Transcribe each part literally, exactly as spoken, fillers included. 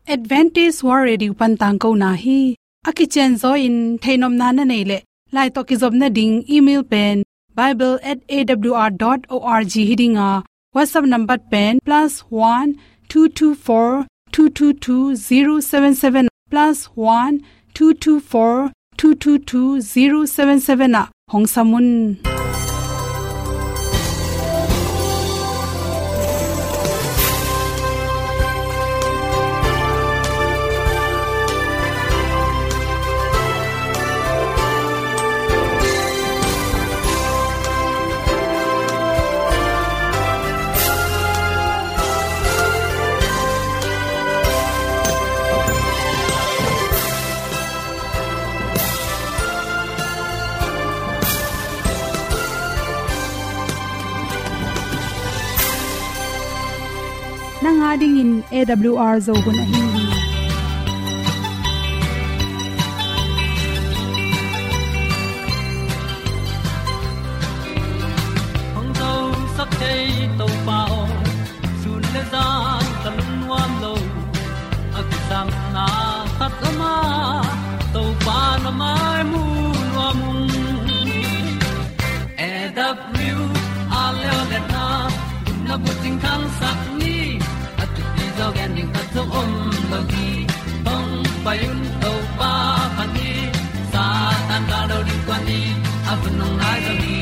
Adventist World Radio pan tangkona hi. A kicianzaw in theihnopna na neih leh, lai tawh kizopna ding email pen bible at A W R dot org hi ding a, WhatsApp number pen plus one two two four two two two zero seven seven, plus one two two four two two two zero seven seven ah hong sam un. Nang a dingin A W R Zo hun ahi hi. Hong zosak thei Topa aw, sun le zan ka lungnuam lo. A kisapna khat om a, Topa na mai mu nuam ung. A W R leo le na, na bucing khangsak ni, a thupi zaw gen ding khat zong om lo hi. Hong pai un Topa pha ni, Satan ka lo ding kua ni, a hun hong nai zaw hi.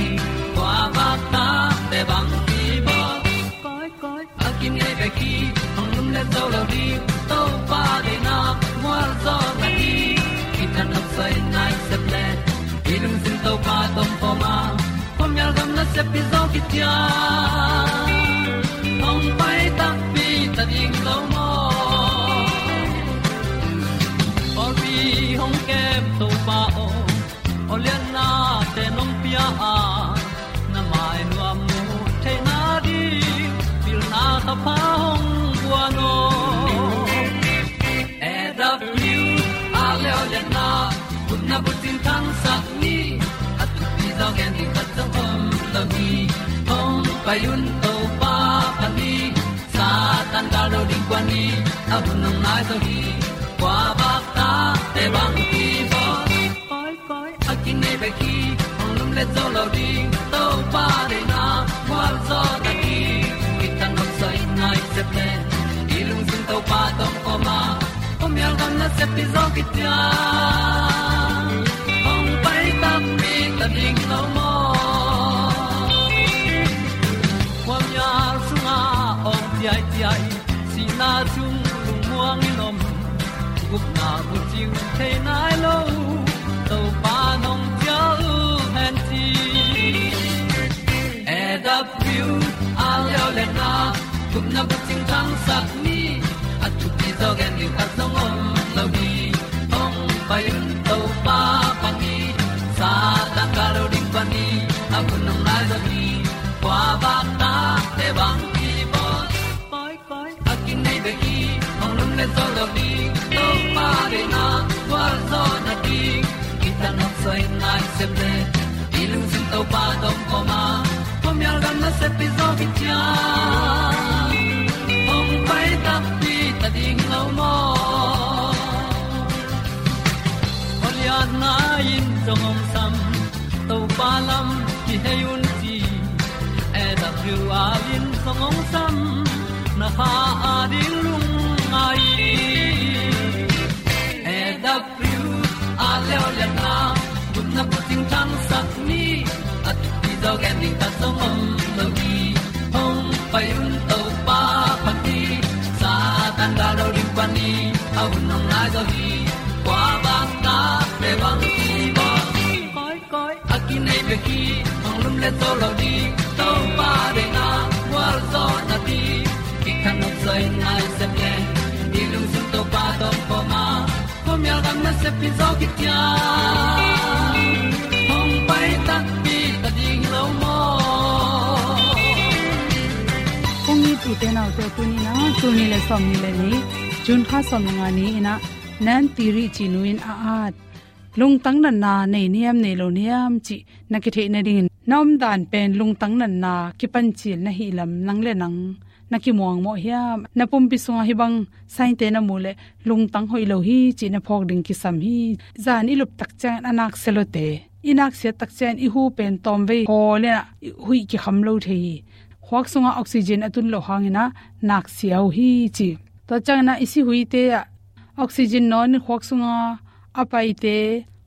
Kua bak ta te bang ki bawl. Koi, koi, a kinei bek hi, hong lum le zo lo ding, Topa deihna mual zaw na hi. Kitang nok soi nai sep le, i lungsim Topa tawh pom a, khuamial gam nasep pi zaw kician. Hong pai takpi ta ding lo maw? Pawlpi hong kem Topa aw, aw lianna te nong pia a, na mai nuam mu theihna ding, pilna thapha hong guan aw. A W R leo le na, gupna bucing khangsak ni, a thupi zaw gen ding khat zong om lo hi. Hong pai un Topa pha ni, Satan ka lo ding kua ni, a hun hong nai zaw hi. Kua bak ta te bang ki bawl. Koi, koi, a kinei bek hi, hong lum le zo lo ding, Topa deihna mual zaw na hi. Kitang nok soi nai sep le, i lungsim Topa tawh pom a, khuamial gam nasep pi zaw kician. Hong pai takpi ta ding lo maw? Khuamial sungah awng ciaiciai, sihna sung lungmuang in om, gupna bucing thei nai lo, Topa nong cial hen ci. A W R leo le na, gupna bucing khangsak ni, a thupi zaw gen ding khat zong om lo hi. Hong pai un Topa pha ni, Satan ka lo ding kua ni, a hun hong nai zaw hi. Kua bak ta te bang ki bawl. Koi, koi, a kinei bek hi, hong lum le zo lo ding, Topa deihna mual zaw na hi. Kitang nok soi nai sep le, i lungsim Topa tawh pom a, khuamial gam nasep pi zaw kician. Hong pai takpi ta ding lo maw? Aw lianna in zong hong sam, Topa lam kihei un ci. A W R in zong hong sam, na kha a ding lungngai. A W R leo le na, gupna bucing khangsak ni, a thupi zaw gen ding khat zong om lo hi. Hong pai un Topa pha ni, Satan ka lo ding kua ni, a hun hong nai zaw hi. Kua bak ta te bang ki bawl. Koi, koi, a kinei bek hi, hong lum le zo lo ding, Topa deihna mual zaw na hi. Kitang nok soi nai sep le, i lungsim Topa tawh pom a, khuamial gam nasep pi zaw kician. Hong pai takpi ta ding lo maw? Kong it u te nau te, tuni in ah, tul nih le sawmnih le nih, June kha sawmnga ni in ah, Nan Tiri cih nu in a at, lungtang natna nei niam nei lo niam cih na kitheih nadingin, na omdan pen lungtang natna kipancil na hih lam nang le nang na kimuangmawh hiam? Na pumpi sungah hih bang sign-te na muh leh lungtang hoih lo hi cih na phawk ding kisam hi. Zan i lup tak ciangin a nak sia lawte, i nak siat tak ciangin i hu pen tawmvei hawl in ah huih kikham lo thei hi. Khuak sungah oxygen a tun loh hangin ah nak sia uh hi ci. Tua ciangin ah i sihuite ah oxygen nawn in khuak sungah a paite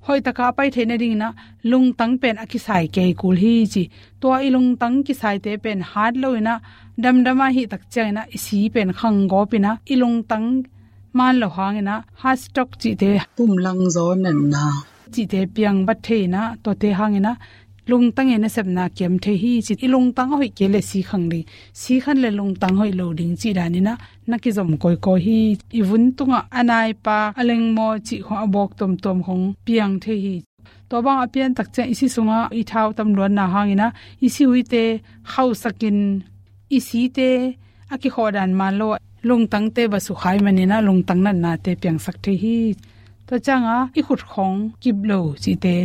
hoih taka a pai theih nadingin ah lungtang pen a kisai kei kul hi ci. Tua i lungtang kisaite pen hat lo in ah damdam a hih tak ciangin ah i si pen khang gawp in ah i lungtang maan loh hangin ah heart stroke cihte, pumlangzaw natna cihte piang vat thei in ah, tuate hangin ah lungtang i nasepna kiam thei hi ci. I lungtang a hoih kei leh si khang ding, si khan leh lungtang hoih lo ding cih danin ah na kizom kawikawi hi. I vun tungah a naipak, a lengmaw cih khawng, a bawk tuamtuam khawng piang thei hi. Tua bang a pian tak ciang i si sungah i thau tam luatna hangin ah i sihuite khauhsakin i site a kikhawh dan maan lo ah lungtangte va sukha ahih manin ah lungtang natnate piangsak thei hi. Tua ciangah i khut khawng kip lo cihte,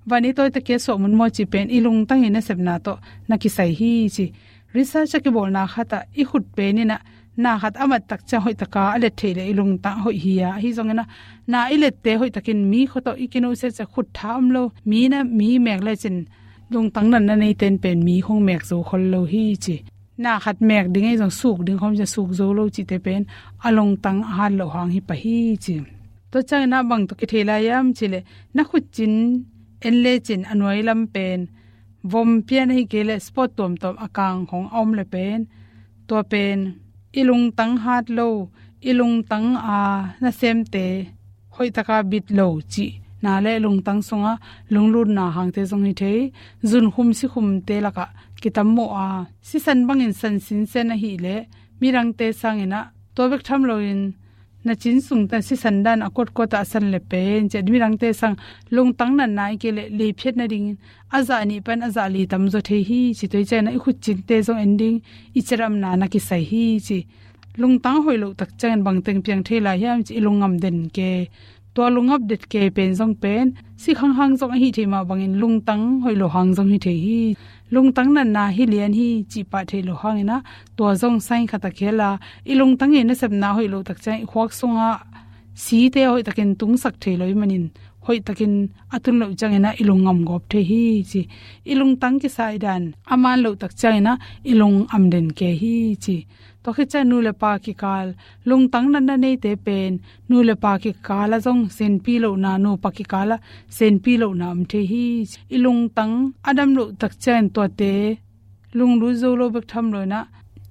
van i tawi tak a suah munmun maw cih pen i lungtang i nasepna tawh na kisai hi ci. Research a kibawlna khatah i khut pen in ah na khat a mat tak ciang hoih taka a let theih leh i lungtang a hoih hi a, ahi zongin ah na i lette hoih takin mi khua tawh i kinuhsia ciang khut tha om lo, mi na, mi mek lecin lungtang natna neite in pen mi khawng mek zo khol lo hi ci. Na khat mek ding ahi zong suk ding khawm ciang suk zo lo cihte pen a lungtang a hat loh hang hi pah hi ci. Tua ciangin ah bang tawh kithei lai hiam cih leh na khutcin en lecin a nuai lam pen vom pian ahih kei leh spot tuamtuam a kang khawng a om leh pen, tua pen i lungtang hat lo, i lungtang a nasemte hoih taka bit lo cihna leh lungtang sungah lunglutna hangte zong hi thei. Zunkhum sikhumte lakah kitam maw a, sisan bangin san sinsen ahih leh midangte sangin ah tua bek tham loin na cin sung tan sisan dan a kuatkuat ah a san leh pen ci a, midangte sang lungtang natna ahih kei leh leiphiat nadingin a zah nih pan a zah li tamzaw thei hi ci. Tua ciangin ah i khutcinte zong en ding, i ciramna na kisai hi ci. Lungtang hoih loh tak ciangin bangteng piang thei lai hiam ci, i lungngam den kei. Tua lungngam den kei pen zong pen si khanghang zong ahi thei mah bangin lungtang hoih loh hang zong hi thei hi. Lungtang natna hi lian hi cih pah theih loh hangin ah tua zong sign khat a khel a, i lungtang i nasepna hoih loh tak ciang i khuak sungah site hoih takin tungsak thei lo ahih manin hoih takin a tun loh ciangin ah i lungngam gawp thei hi ci. I lungtang kisai dan a maan loh tak ciangin ah i lungngam den kei hi ci. Tua khit ciang nu le pa kikal lungtang natna neite pen nu le pa kikal ah zong senpi lohna, nupa kikal ah senpi lohna om thei hi. I lungtang a dam loh tak ciangin tuate lunglut zo lo bek tham loin ah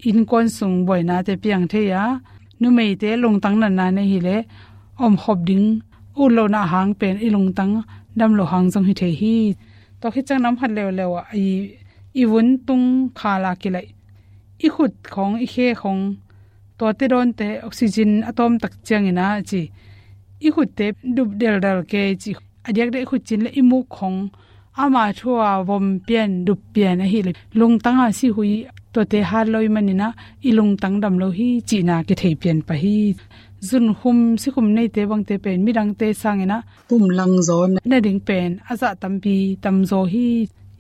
innkuan sung buainate piang thei a, numeite lungtang natna nei hi leh omkhop ding ut lohna hang pen i lungtang dam loh hang zong hi thei hi. Tua khit ciang nam khat leuleu ah i, i vun tung khal a kilaih i khut khawng, i khe khawng, tuate dawnte oxygen a tawm tak ciangin ah ci, i khutte dup deldel kei ci. A diakdiak i khutcin leh i muk khawng ama thu a vom pian, dup pian ahih leh lungtang a sihui tuate hat lo ahih manin ah i lungtang dam lo hi cihna kithei pian pah hi. Zunkhum sikhum neite bangte pen midangte sangin ah pumlangzaw nading pen a zah tampi tamzaw hi.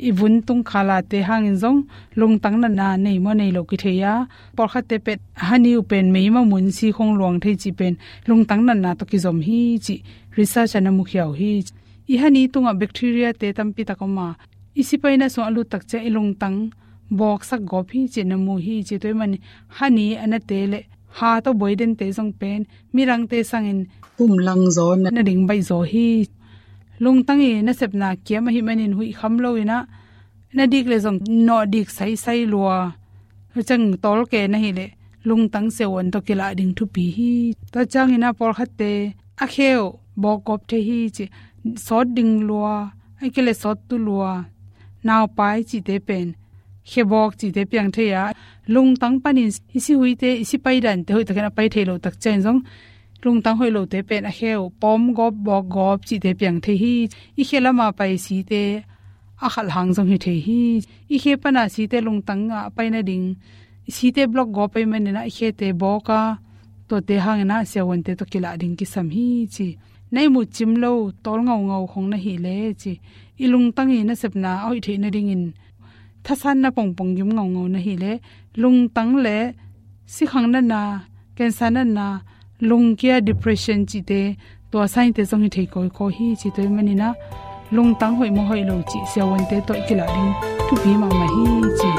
I vun tung khal ate hangin zong lungtang natna nei maw nei lo kithei a, pawlkhatte pen hani uh pen meima mun si khawng luang thei cih pen lungtang natna tawh kizom hi cih research ah na mukhia uh hi. I hani tungah bacteriate tampi tak om a, i sipaina sungah a lut tak ciang i lungtang bawksak gawp hi cih na mu hi ci. Tua ahih manin hani a nate leh ha tawh buai dente zong pen midangte sangin pumlangzaw nading baihzaw hi. Lungtang i nasepna kiam ahih manin huih kham loin ah na dik leh zong nawh dik saisai lua, tua ciang tawlke na hih leh lungtang siavuan tawh kilah ding thupi hi. Tua ciangin ah pawlkhatte a khe uh bawk gawp thei hi ci, sawt ding lua, ahih kei leh sawt tu lua, naupai cihte pen khe bawk cihte piang thei a, lungtang panin i sihuite, i sipai dante hoih takin a pai thei loh tak ciangin zong lungtang hoih lote pen a khe uh pawm gawp, bawk gawp cihte piang thei hi. I khe lama pai site a khalh hang zong hi thei hi. I khe pana site lungtang ah a pai nading, i site block gawp ahih manin ah i khete bawk a, tuate hangin ah siavuante tawh kilah ding kisam hi ci. Na ihmut cim lo tawl ngaungau khawng na hih leh ci, i lungtang i nasepna a hoih theih nadingin thasanna pongpong gim ngaungau na hih leh lungtang leh sikhang natna, cancer natna, lungkia depression cihte, tua sign te zong hi thei kawikawi hi ci. Tua ahih manin ah lungtang hoih maw hoih lo cih siavuante tawh kilah ding thupi mahmah hi ci.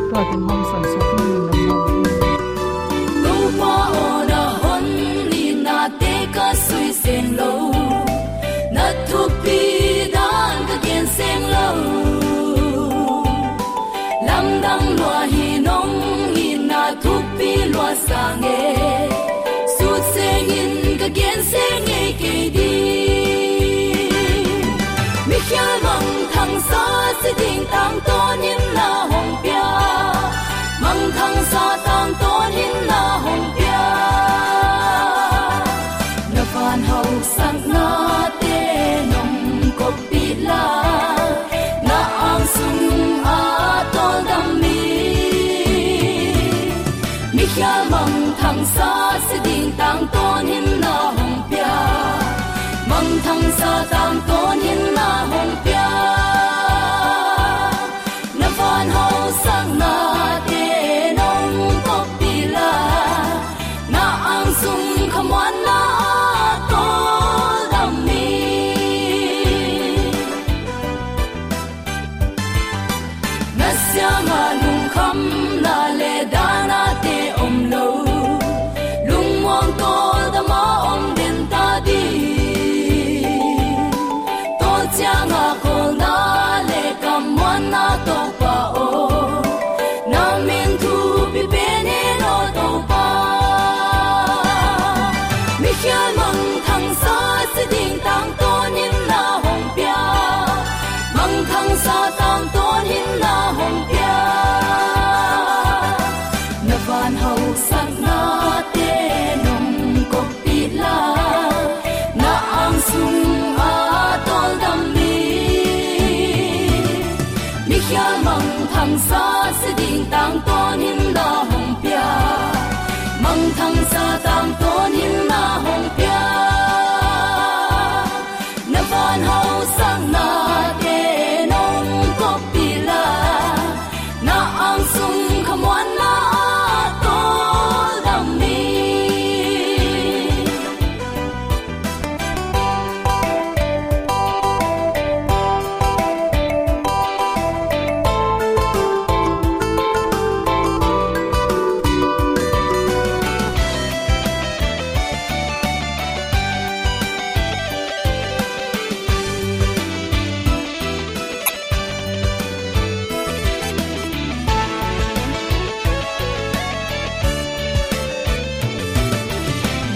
Tua teng hong sawn suak in lungdam mahmah hi. Topa aw, na hon nitnate ka sui seng lo, na thupi dan ka gen seng lo. Lamdang lua hi, nong itna thupi lua sa ngei, sut seng in ka gen seng ngei kei ding. Mikhial mangthangsa si ding tangtawn in na hong pia, mangthangsa tangtawn in na hong pia. Na van hausaknate nong koppih la, na ang sung a tawldam mi. Mikhial mangthangsa si ding tangtawn in na hong pia, mangthangsa tangtawn in na hong pia. Na van hausaknate nong koppih la, na ang sung khamuanna a tawldam mi. Na siangah lungkhamna le dahnate om lo, lungmuang tawldam a om den ta ding. Tua ciangah khawlna le kammuanna Topa aw, na min thupi pen hen aw Topa. Mikhial mangthangsa si ding tangtawn in na hong pia, mangthangsa tangtawn in na hong pia. Na van hausaknate nong koppih la, na ang sung a tawldam mi. Mikhial mangthangsa si ding tangtawn in na hong pia, mangthangsa tangtawn in na hong pia. Na van hausaknate nong koppih la, na ang sung khamuanna a tawldam mi.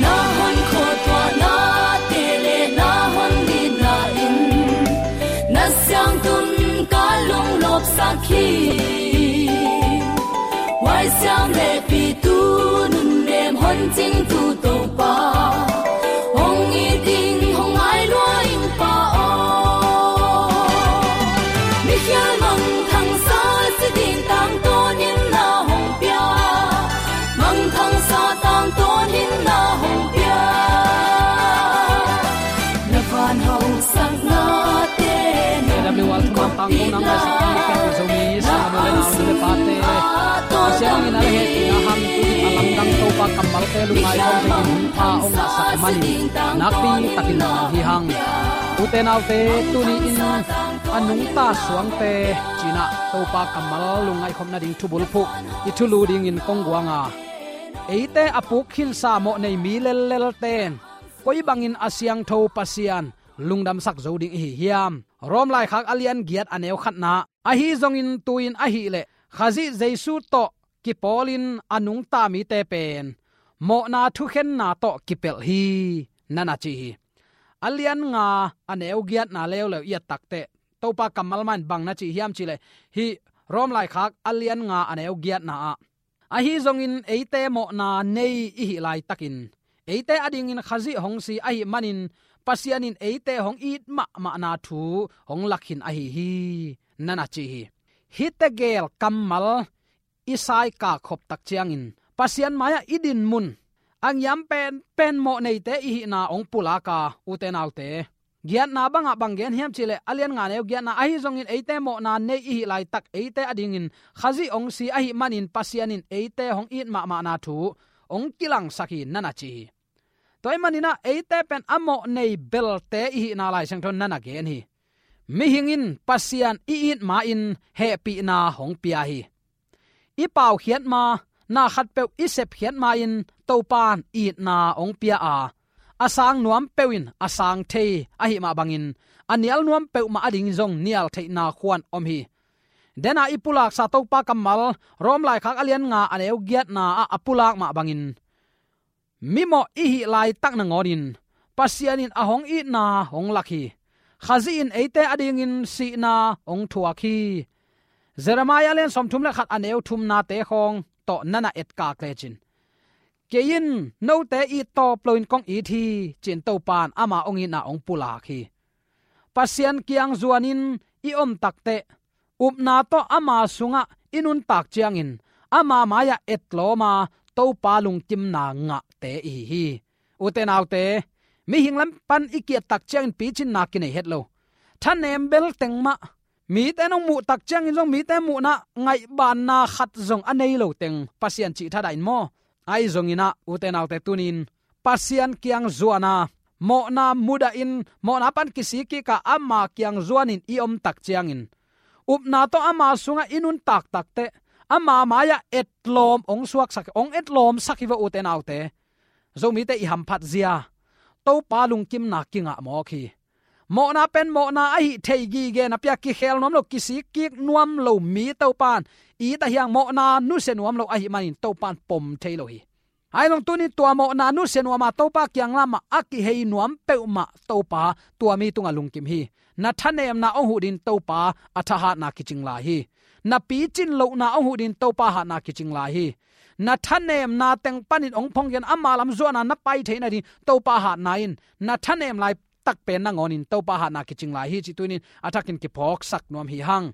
Na hon khuatuahnate le na hon nitna in na siangtho ka lunglawpsak hi. Huaisiam le pitu nunnem hon cingtu Topa, hong it ding hong ngai lua ing Pa aw. Mikhial mangthangsa si ding tangtawn in na hong pia, mangthangsa tangtawn in na hong pia. Na van hausaknate nong koppih la, na ang sung a tawldam mi. Pasian in a le hehpihna hang tu a lamdang Topa kammalte lungngai khawm thei ding hun pha hong ngahsak manin nakpi takin na hi hang. Ute naute, tuni in a nungta suangte ci-in ah Topa kammal lungngaih khop nading thubulphuh i thulu dingin kong guang a, eite a puk khinsa mawh nei mi lellelte in koi bangin a siangtho Pasian lungdamsak zo ding i hi hiam? Rom laikhak a lian giat a neu khatna, ahi zongin tu-in ahih leh Khazih Jesu tawh kipawlin a nungta mite pen mawhna thukhenna tawh kipelh hi, na na ci hi. A lian nga a neu giatna leuleu i et takteh Topa kammal mah in bang na ci hiam cih leh, hih Rom laikhak a lian nga a neu giatna ah, ahi zongin eite mawhna nei i hih laitakin eite adingin Khazih hong si ahih manin Pasian in eite hong it mahmahna thu hong lakkhin ahi hi, na na ci hi. Hihte gel kammal i saikak khop tak ciangin Pasian mai-ah i dinmun a ngiam penpen mawh neite i hihna hong pulak a, ute naute, giatna bangah bang gen hiam cihleh, a lian nga neu giatna, ahi zongin eite mawhna nei i hih laitak eite adingin Khazih hong si ahih manin Pasian in eite hong it mahmahna thu hong kilangsak hi, na na ci hi. Tua ahih maninah eite pen a mawh nei belte i hihna Lai Siangtho in na na gen hi. Mihing in Pasian i it ma-in hehpihna hong pia hi. I paukhiat ma, na khatpeuh i sepkhiat ma-in Topan itna hong pia a, a sang nuam peuh in a sang thei ahih mah bangin, a nial nuam peuhmah ading zong nial theihna khuan om hi. Dena i pulaksa Topa kammal, Rom laikhak a lian nga a neu giatna ah a pulak mah bangin, mimawh i hih laitak nangawnin Pasian in a hong itna hong lak hi. Khazih in eite adingin sihna hong thuak hi. Jeremiah lian sawmthum le khat a neu thumnate khawng tawh na na etkak lecin, kei in note it tawp loin kong it hi, ci-in Topan ama hong itna hong pulak hi. Pasian kiang zuanin i om takteh, upna tawh ama sungah i nuntak ciangin, ama mai-ah etlawm a, Topa lungkimna ngahte i hi hi. Ute naute, mihing lam pan i kiat tak ciangin picinna kinei het lo. Thanem bel teng mah, mite nong muh tak ciangin zong mite muhna ngaihbanna khat zong a nei lo teng Pasian cih thadah in maw? Ahi zonginah, ute naute, tunin Pasian kiang zuan a, mawhna mudahin, mawhna pan kisik kik a, ama kiang zuanin i om tak ciangin, upna tawh ama sungah i nuntak takteh, ama mai-ah etlawm hong suaksak, hong etlawmsak hi va, ute naute. Zomite i hamphat zia, Topa lungkimna kingah mawk hi. Mawhna pen mawhna ahi thei gige napi-a kikhel nuam lo, kisik kik nuam lo mi Topan it a hiang, mawhna nusia nuam lo ahih manin Topan pom thei lo hi. Ahi zong tunin tua mawhna nusia nuam a Topa kiang lamah a kihei nuam peuhmah Topa tua mi tungah lungkim hi. Na thanemna hong huh dingin Topa a thahatna kicing lai hi. Na picin lohna hong huh dingin Topa hatna kicing lai hi. Na thanemna teng panin hong phonggen ama lam zuahna na pai theih nading Topa hatna in na thanem lai takpen nangawnin Topa hatna kicing lai hi, cih tunin a thakin kiphawksak nuam hi hang.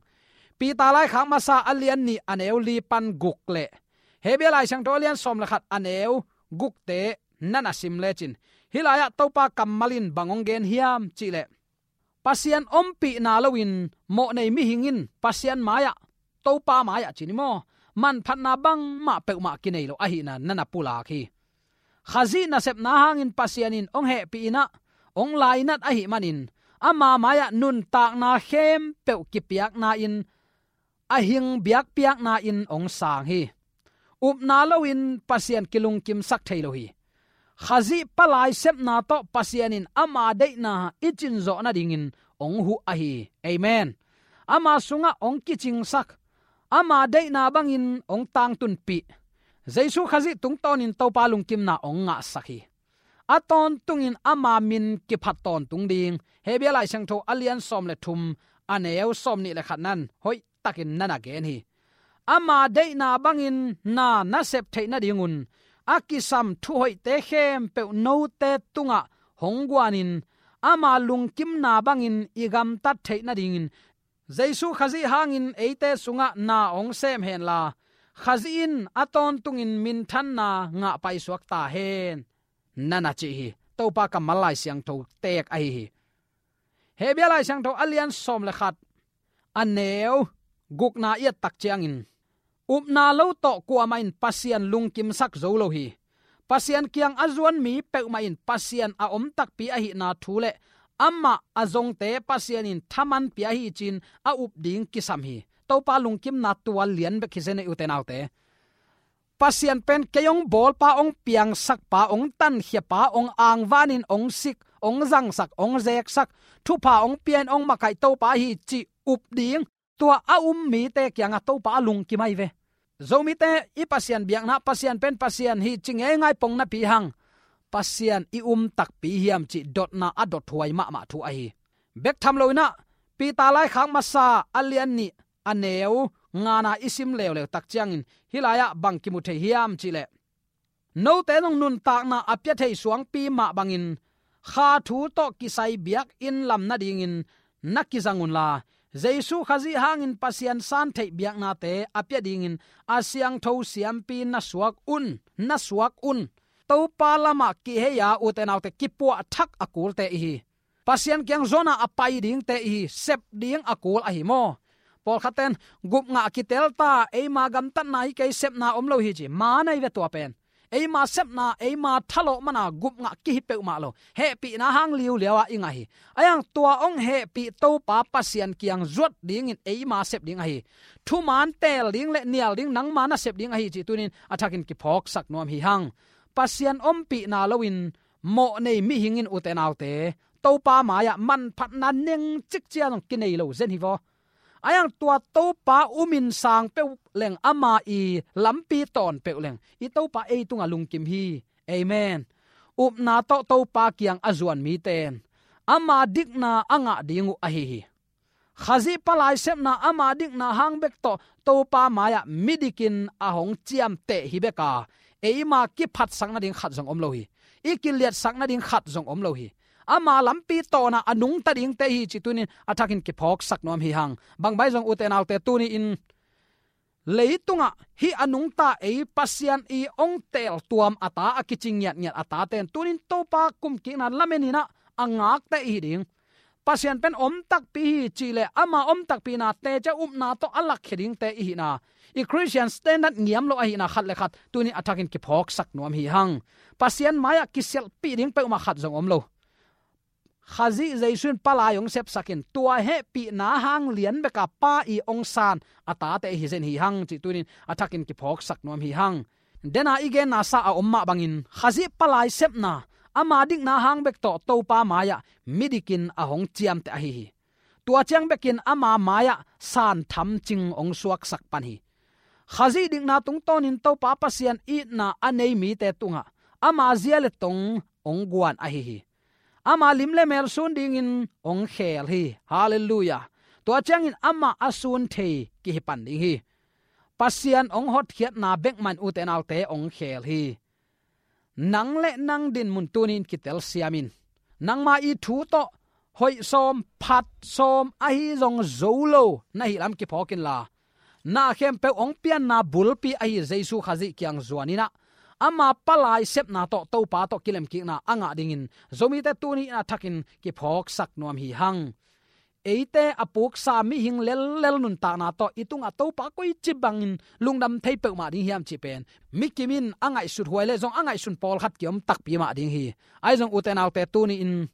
Peter laikhak masa a lian nih a neu li pan guk le Hebru Lai Siangtho a lian sawm le khat a neu gukte na na sim lecin, hih lai-ah Topa kammal in bang hong gen hiam cihleh, Pasian ompihna loin mawh nei mihing in Pasian mai-ah, Topa mai-ah ci ni maw, manphatna bangmah peuhmah kinei lo ahihna na na pulak hi. Khazih nasepna hangin Pasian in hong hehpih in ah, hong lainat ahih manin, ama mai-ah nuntakna khempeuh kipiakna-in a hing biakpiakna-in hong sang hi. Upna loin Pasian kilungkimsak thei lo hi. Khazih palai sepna tawh Pasian in ama deihna i cinzawh nadingin hong huh ahi hi. Amen. Ama sungah hong kicingsak, ama deihna bangin hong tangtunpih, Jesu Khazih tungtawnin Topa lungkimna hong ngahsak hi. A tawntungin ama min kiphat tawntung ding Hebru Lai Siangtho a lian sawm le thum a neu sawm nih le khat nan hoihtakin na na gen hi. Ama deihna bangin na na sep theih nadingun a kisam thuhoihte khempeuh note tungah hong guanin, ama lungkimna bangin i gamtat theih nadingin Jesu Khazih hangin eite sungah na hong sem henla, Khazih in a tawntungin minthanna ngah paisuak ta hen, na na ci hi. Topa kammal Lai Siangtho teek ahi hi. Hebru Lai Siangtho a lian sawm le khat a neu gukna i et tak ciangin, upna lo tawh kuamah in Pasian lungkimsak zo lo hi. Pasian kiang a zuan mi peuhmah in Pasian a om takpi ahihna thu le amah a zongte Pasian in thaman pia hi ci-in a up ding kisam hi. Topa lungkimna tua lian bek hi zen ei, ute naute. Pasian pen kei hong bawlpa, hong piangsakpa, hong tankhiapa, hong angvanin hong sik, hong zangsak, hong zeksak, thupha hong pia-in hong makaih Topa hi cih up ding tua a um mite kiangah Topa a lungkim ahi ve. Zomite i Pasian biakna Pasian pen Pasian hi ci ngeingai pong napi hang, Pasian i um takpi hiam cih dotna a dothuai mahmah thu ahi. Bek tham loinah Peter laikhak masa a lian nih a neu ngana i sim leuleu tak ciangin hih lai-ah bang kimu thei hiam cihleh, note zong nuntakna a pia thei suangpi mah bangin kha thu tawh kisai biakinn lam nadingin na kizang unla, Jesu Khazih hangin Pasian san theih biaknate a pia dingin a siangtho siampi na suak un, na suak un. Topa lamah kihei a, ute naute, kipuah thak a kulte i hi. Pasian kiang zuana a pai dingte i hi, sep ding a kul ahi maw? Pawlkhatten gupngah kitel ta, eima gamtatna hi kei, sepna om lo hi ci, ma nei ve tua pen. Eima sepna, eima thalawh mana gupngah kihi peuhmah lo. Hehpihna hang liuliau a i ngah hi. Ahi hang tua hong hehpih Topa Pasian kiang zuat dingin eima sep ding ahi. Thuman teel ding le nial ding nangma na sep ding ahi cih tunin a thakin kiphawksak nuam hi hang. Pasian ompihna loin mawh nei mihing in, ute naute, Topa mai-ah manphatna nengcik ciang kinei lo zen hi vaw. Ahi hang tua Topa umin sang peuh leng, ama i lampi tawn peuh leng, i Topa ei tungah lungkim hi. Amen. Upna tawh Topa kiang a zuan mite in ama dikna a ngah ding uh ahi hi. Khazih palai sepna ama dikna hang bek tawh Topa mai-ah midikin a hong ciamteh hi bek a, eima kiphatsak nading khat zong om lo hi. I kiliatsak nading khat zong om lo hi. Ama lampi tawnah a nungta dingte hi cih tunin a thakin kiphawksak nuam hi hang. Bang bang zong, ute naute, tuni-in leitungah hih a nungta ei Pasian i hong teel tuam a ta, a kicing ngiatngiat a tate in tunin Topa kumkikna lamenin ah a ngakte i hi ding. Pasian pen om takpi hi cih leh ama om takpihna, teci a upna tawh a lakkhia dingte i hihna, i Christian standard ngiam lo ahihna khat le khat tunin a thakin kiphawksak nuam hi hang. Pasian mai-ah kisialhpih ding peuhmah khat zong om lo. Khazih Jesu in palai hong sepsak in, tua hehpihna hang lian bek a Pa i hong san a tate hi zen hi hang cih tunin a thakin kiphawksak nuam hi hang. Dena i genna sa a om mah bangin Khazih palai sepna ama dikna hang bek tawh Topa mai-ah midikin a hong ciamteh ahi hi. Tua ciang bekin ama mai-ah san thamcing hong suaksak pan hi. Khazih dikna tungtawnin Topa Pasian itna a nei mite tungah ama zia le tong hong guan ahi hi. Ama lim le mel sun dingin hong khel hi. Halleluiah. Tua ciangin amah a sun thei kihi pan ding hi. Pasian hong hotkhiatna bek mah in, ute naute, hong khel hi. Nang le nang dinmun tunin kitelsiam in. Nangma i thu tawh hoih sawm, phat sawm ahi zong zo lo na hih lam kiphawk inla, na khempeuh hong pianna bulpi ahi Jesu Khazih kiang zuan in ah, ama palai sepna tawh Topa tawh kilemkikna a ngah dingin Zomite tuni in a thakin kiphawksak nuam hi hang. Eite a puksa mihing lellel nuntakna tawh i tungah Topa koici bangin lungdam thei peuhmah ding hiam cih pen mi kim in a ngaihsut huai le zong a ngaihsun pawlkhat kiom takpi mah ding hi. Ahi zong, ute naute, tuni-in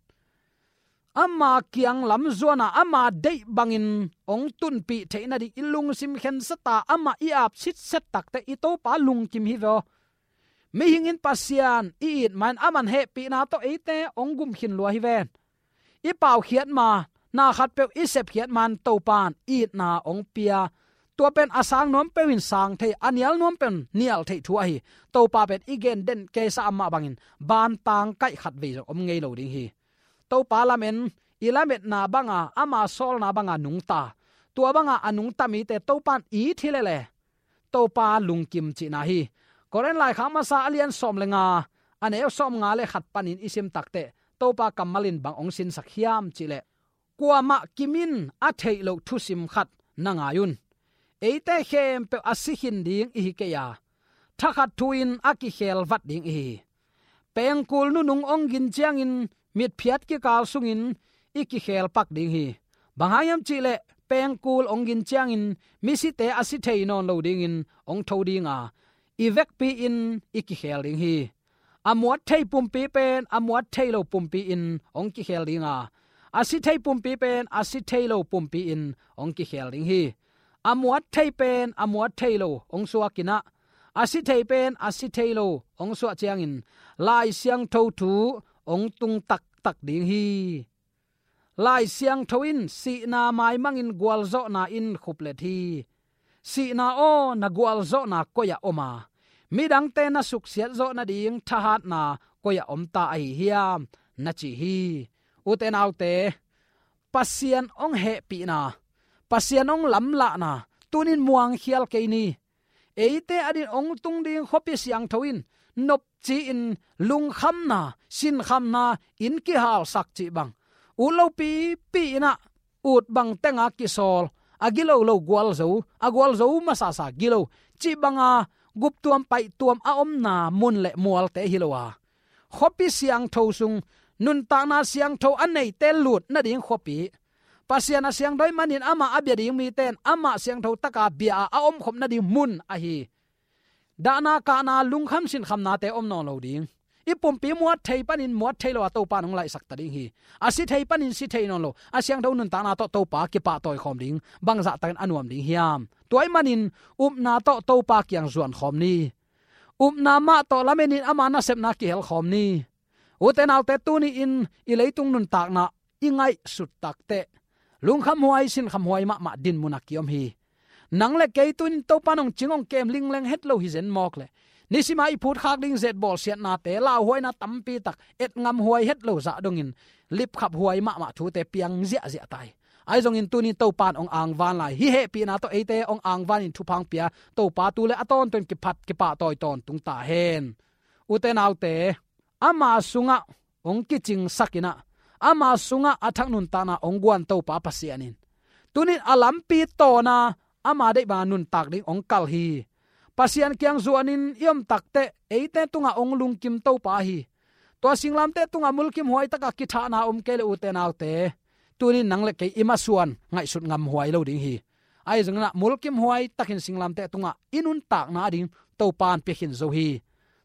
ama kiang lam zuana ama deih bangin hong tunpih theih nading i lungsim khensat a, amah i ap sitset takteh i Topa lungkim hi ve aw. Mihing in Pasian i it ma-in aman hehpihna tawh eite hong gum khin lua hi ven. I paukhiat ma, na khatpeuh i sepkhiat ma-in Topa in itna hong pia. Tua pen a sang nuam peuh in sang thei, a nial nuam peuh in nial theih thu ahi. Topa pen i gen den keisa a mah bangin bantang kaih khat vei zong om ngei lo ding hi. Topa lamen, i lametna banga, ama sawlna banga nungta, tua banga a nungta mite Topa in it hi lele, Topa lungkim cihna hi. Korin laikhak masa a lian sawm le nga, a neu sawmnga le khat panin i sim takteh Topa kammal in bang hong sinsak hiam cih leh, kuamah kim in a theih loh thusim khat na ngai un. Eite khempeuh a si khin ding i hi kei a, thakhat thu-in a kikhel vat ding i hi hi. Pengkul nunung hong gin ciangin mitphiat kikal sungin i kikhel pak ding hi. Bang hang hiam cih leh pengkul hong gin ciangin misite a si thei nawn lo dingin hong tho ding a, i vekpi-in i kikhel ding hi. A muat thei pumpi pen a muat thei lo pumpi-in hong kikhel ding a, a si thei pumpi pen a si thei lo pumpi-in hong kikhel ding hi. A muat thei pen a muat thei lo hong suak in ah, a si thei pen a si thei lo hong suah ciangin Lai Siangtho thu hong tung taktak ding hi. Lai Siangtho in sihna maimangin gualzawhna in khuplet hi. Sihna aw, na gualzawhna koi-ah om a, midangte na suksiat zawh nading thahatna koi-ah om ta ahi hiam, na ci hi. Ute naute, Pasian hong hehpihna, Pasian hong lamlahna tunin muangkhial kei ni. Eite adin hong tung ding khuapi siangtho in nopci-in lungkhamna, sinkhamna in kihalsak cih bang, ut lopipi in ah ut bang tenga kisawl, a gilo lo gualzo, a gualzo masasa gilo cih banga guptuam paihtuam a omna mun le mualte hi lo a, khuapi siangtho sung nuntakna siangtho a neite lut nading khuapi, Pasian a siangtho ahih manin amah a bia ding mite in amah siangtho taka bia a, a omkhop nading mun ahi. Dahna kahna, lungkham sinkhamnate om nawn lo ding. I pumpi muat thei panin muat thei lo a Topa in hong laihsak ta ding hi. A si thei panin si thei nawn lo a siangtho nuntakna tawh Topa kipahtawi khawm ding, bangzah takin a nuam ding hiam? Tua ahih manin upna tawh Topa kiang zuan khawm ni. Upna mah tawh lamenin ama nasepna kihel khawm ni. Ute naute, tuni-in i leitung nuntakna i ngaihsut takteh lungkhamhuai, sinkhamhuai mahmah dinmun a kiom hi. Nang le kei tuni-in Topa in hong cing hong kem lingleng het lo hi zen mawk leh, nisima i phutkhak ding zet bawlsiatnate, lauhuaina tampi tak, etngamhuai het lo zah dongin lipkhaphuai mahmah thute piang ziahziah ta hi. Ahi zongin tuni-in Topa in hong angvan lai. Hih hehpihna tawh eite hong angvanin thupha hong pia Topa tu le a tawntung kiphat kipahtawi tawntung ta hen. Ute naute, ama sungah hong kicingsak in ah, ama sungah a thak nuntakna hong guan Topa Pasian in tuni-in a lampi tawn a, ama deih banga nuntak ding hong kal hi. Pasian kiang zuanin i om takteh eite tungah hong lungkim Topa hi. Tua singlamteh tungah mulkimhuai taka kithahna om kei leh, ute naute, tuni-in nang le kei i masuan ngaihsut ngamhuai lo ding hi. Ahi zongin ah mulkimhuai takin singlamteh tungah i nuntakna ding Topa in pia khin zo hi.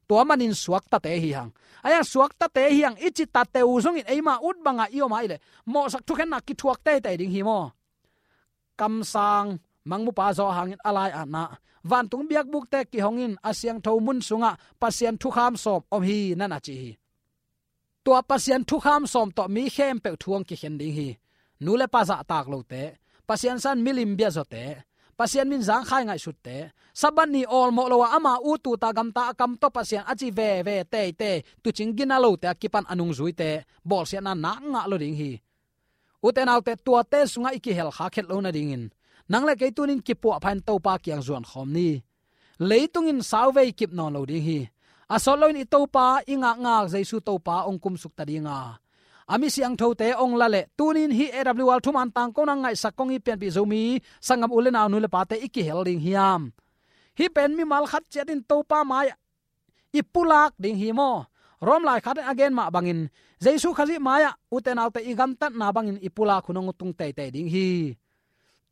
Tua manin suaktate hi hang. Ahi hang suaktate hi hang i ci tate uh zongin eima ut banga i om ahih leh mawhsak thukhenna kithuak teitei ding hi maw? Kamsang mangmupa zawh hangin a lai-atna, vantung biakbukte kihongin a siangtho mun sungah Pasian thukham sawm om hi, na na ci hi. Tua Pasian thukham sawm tawh mi khempeuh thu hong kikhen ding hi. Nu le pa zahtak lote, Pasian san milim biazawte, Pasian min zangkhai ngaihsutte, Sabbath ni awlmawh lo a ama ut ut a gamta a kam tawh Pasian a ci veve teitei, tuucing gina lote a kipan a nungzuite bawlsiatna nak ngah lo ding hi. Ute naute, tuate sungah i kihelkha khet lo nadingin nang le kei tuni-in kipuahpha in Topa kiang zuan khawm ni. Leitung in sauvei kip nawn lo ding hi. A sawt loin i Topa, i ngakngak Jesu Topa hong kumsuk ta ding a, a mi siangthote hong la leh, tuni-in hih A W R thuman tangkona ngaihsak kong i pianpih Zomi sanggam u le nau, nu le pate i kihel ding hiam? Hih pen mimal khat ciat in Topa mai-ah i pulak ding hi maw? Rom laikhak in a gen mah bangin Jesu Khazih mai-ah ute naute i gamtatna bangin i pulak hun hong tung teitei ding hi.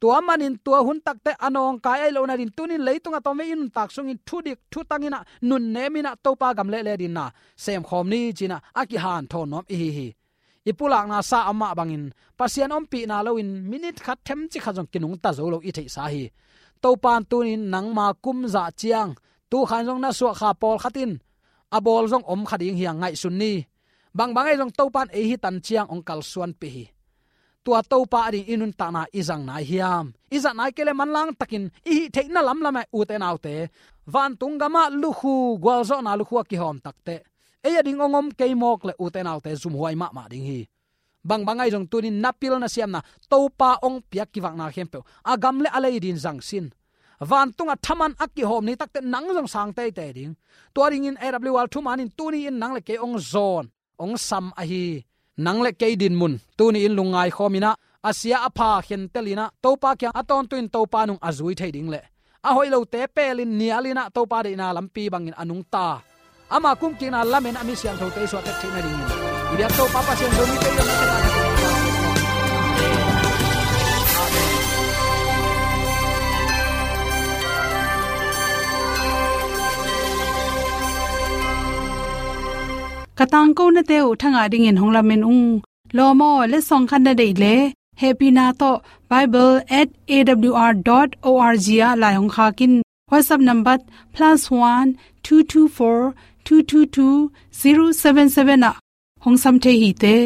Tua manin tua hun takteh a nawngkai ahih loh nadingin tuni-in leitung a tawmvei i nuntak sungin thudik thutang in ah, nunnem in ah Topa gam lehleh dingin ah semkhawm ni ci-in ah a kihanthawn nuam i hi hi. I pulakna sa a mah bangin Pasian ompihna loin minit khat themcik khat zong kinungta zo lo i theihsa hi. Topa in tuni-in nangma kum zah ciang, tu khan zong na suahkha pawlkhat in a bawl zong om kha ding hi hang, ngaihsun ni. Bangbang ahi zong Topa in ei hi tan ciang hong kalsuanpih hi. Tua Topa ading i nuntakna i zang nai hiam? I zat nai kei leh manlang takin i hih theihna lamlam ah, ute naute, vantung gamah lukhu, gualzawhna lukhu a kihawm takteh ei ading hong om kei mawk leh, ute naute, zumhuai mahmah ding hi. Bangbang ahi zong tuni-in na pil na siamna, Topa hong piak kivakna khempeuh a gam le a lei dingin zangsin. Vantungah thaman a kihawm ni takteh nang zong sang teitei ding. Tua dingin A W R thuman in tuni-in nang le kei hong zawn, hong sam ahi. Nang le kei dinmun tuni-in lungngai khawm in ah, a sia a pha khentel in ah, Topa kiang a tawntung in Topa nung a zui thei ding leh, a hoih lote pelin nial in ah Topa deihna lampi bangin a nungta, ama kumkikna lamen a mi siangthote i suah tek theih nadingin i biak Topa Pasian Zomite i om na tek a Ka tangkonate uh thangah dingin hong lamen ung. Lawm aw, letsong khat na deih leh, hehpihna tawh bible at A W R dot O R G ah lai hong khak in. WhatsApp number plus one two two four two two two zero seven seven ah hong sam thei hi te.